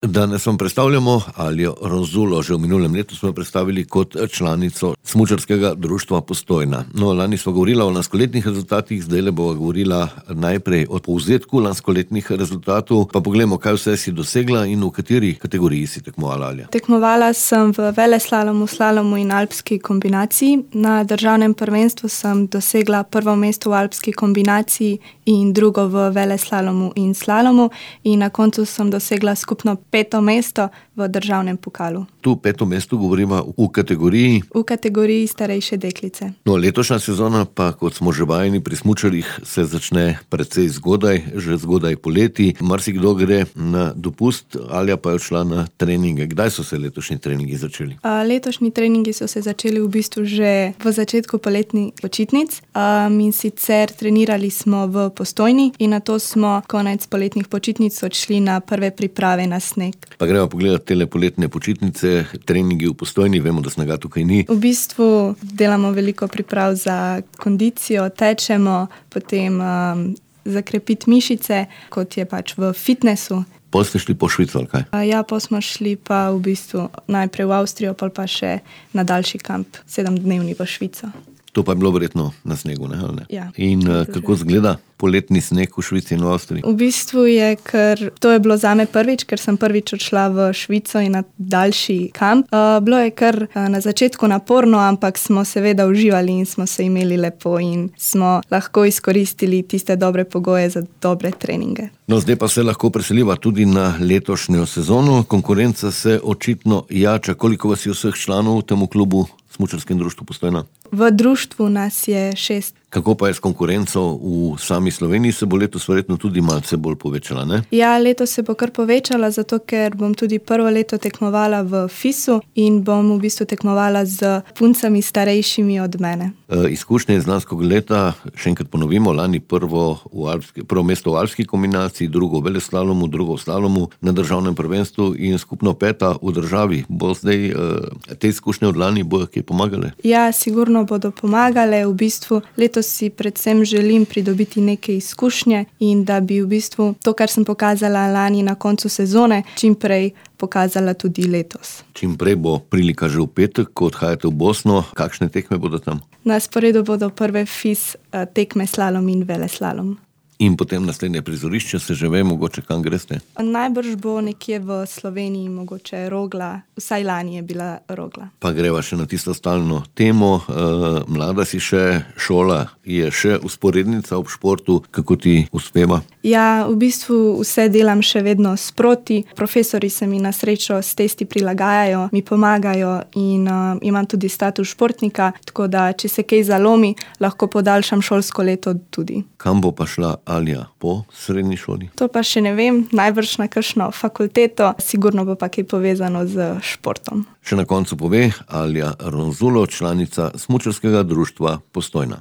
Danes vam predstavljamo Aljo Ronzulo. Že v minulem letu smo jo predstavili kot članico Smučarskega društva Postojna. No, lani smo govorila o lanskoletnih rezultatih, zdaj bova govorila najprej o povzetku lanskoletnih rezultatov, pa poglejmo, kaj vse si dosegla in v kateri kategoriji si tekmovala, Alja. Tekmovala sem v veleslalomu, slalomu in alpski kombinaciji. Na državnem prvenstvu sem dosegla prvo mesto v alpski kombinaciji in drugo v veleslalomu in slalomu in na koncu sem dosegla skupno 5. mesto v državnem pokalu. Tu 5. mesto govorimo v kategoriji? V kategoriji starejše deklice. No, letošnja sezona pa, kot smo že vajeni pri smučarjih, se začne precej zgodaj, že zgodaj poleti. Marsikdo gre na dopust, Alja pa je odšla na treninge. Kdaj so se letošnji treningi začeli? Letošnji treningi so se začeli v bistvu že v začetku poletnih počitnic. In sicer trenirali smo v Postojni in nato smo konec poletnih počitnic odšli na prve priprave na sneg. Pa gremo pogledati tele poletne počitnice, treningi v Postojni, vemo, da snega tukaj ni. V bistvu delamo veliko priprav za kondicijo, tečemo, potem zakrepiti mišice, kot je pač v fitnessu. Pol ste šli po Švico, ali kaj? Ja, pol smo šli pa v bistvu najprej v Avstrijo, pol pa še na daljši kamp, 7-dnevni v Švico. To pa je bilo verjetno na snegu, ne? Ja. In kako izgleda poletni sneg v Švici in v Avstriji? V bistvu to je bilo zame prvič, ker sem prvič odšla v Švico in na daljši kamp. Bilo je kar na začetku naporno, ampak smo seveda uživali in smo se imeli lepo in smo lahko izkoristili tiste dobre pogoje za dobre treninge. No, zdaj pa se lahko preseliva tudi na letošnjo sezono. Konkurenca se očitno jača. Koliko vas je vseh članov v tem klubu, Smučarskem društvu Postojna? V društvu nas je 6. Kako pa je s konkurenco v sami Sloveniji? Se bo letos verjetno tudi malce bolj povečala, ne? Ja, letos se bo kar povečala, zato ker bom tudi prvo leto tekmovala v FIS-u in bom v bistvu tekmovala z puncami starejšimi od mene. Izkušnje iz lanskega leta, še enkrat ponovimo, lani prvo mesto v alpski kombinaciji, drugo v veleslalomu, drugo v slalomu na državnem prvenstvu in skupno 5. v državi. Bo zdaj te izkušnje od lani bojo kje pomagale? Ja, sigurno bodo pomagale. V bistvu letos si predvsem želim pridobiti neke izkušnje in da bi v bistvu to, kar sem pokazala lani na koncu sezone, čim prej pokazala tudi letos. Čim prej bo prilika že v petek, ko odhajate v Bosno. Kakšne tekme bodo tam? Na sporedu bodo prve FIS tekme slalom in veleslalom. In potem naslednje prizorišče, se že ve, mogoče kam greste? Najbrž bo nekje v Sloveniji, mogoče Rogla, vsaj lani je bila Rogla. Pa greva še na tisto stalno temo. Mlada si še, šola je še vzporednica ob športu. Kako ti uspeva? Ja, v bistvu vse delam še vedno sproti. Profesori se mi na srečo s testi prilagajajo, mi pomagajo in imam tudi status športnika, tako da, če se kaj zalomi, lahko podaljšam šolsko leto tudi. Kam bo pa šla Alja po srednji šoli? To pa še ne vem, najbrž na kakšno fakulteto, sigurno bo pa kaj povezano z športom. Še na koncu pove Alja Ronzulo, članica Smučarskega društva Postojna.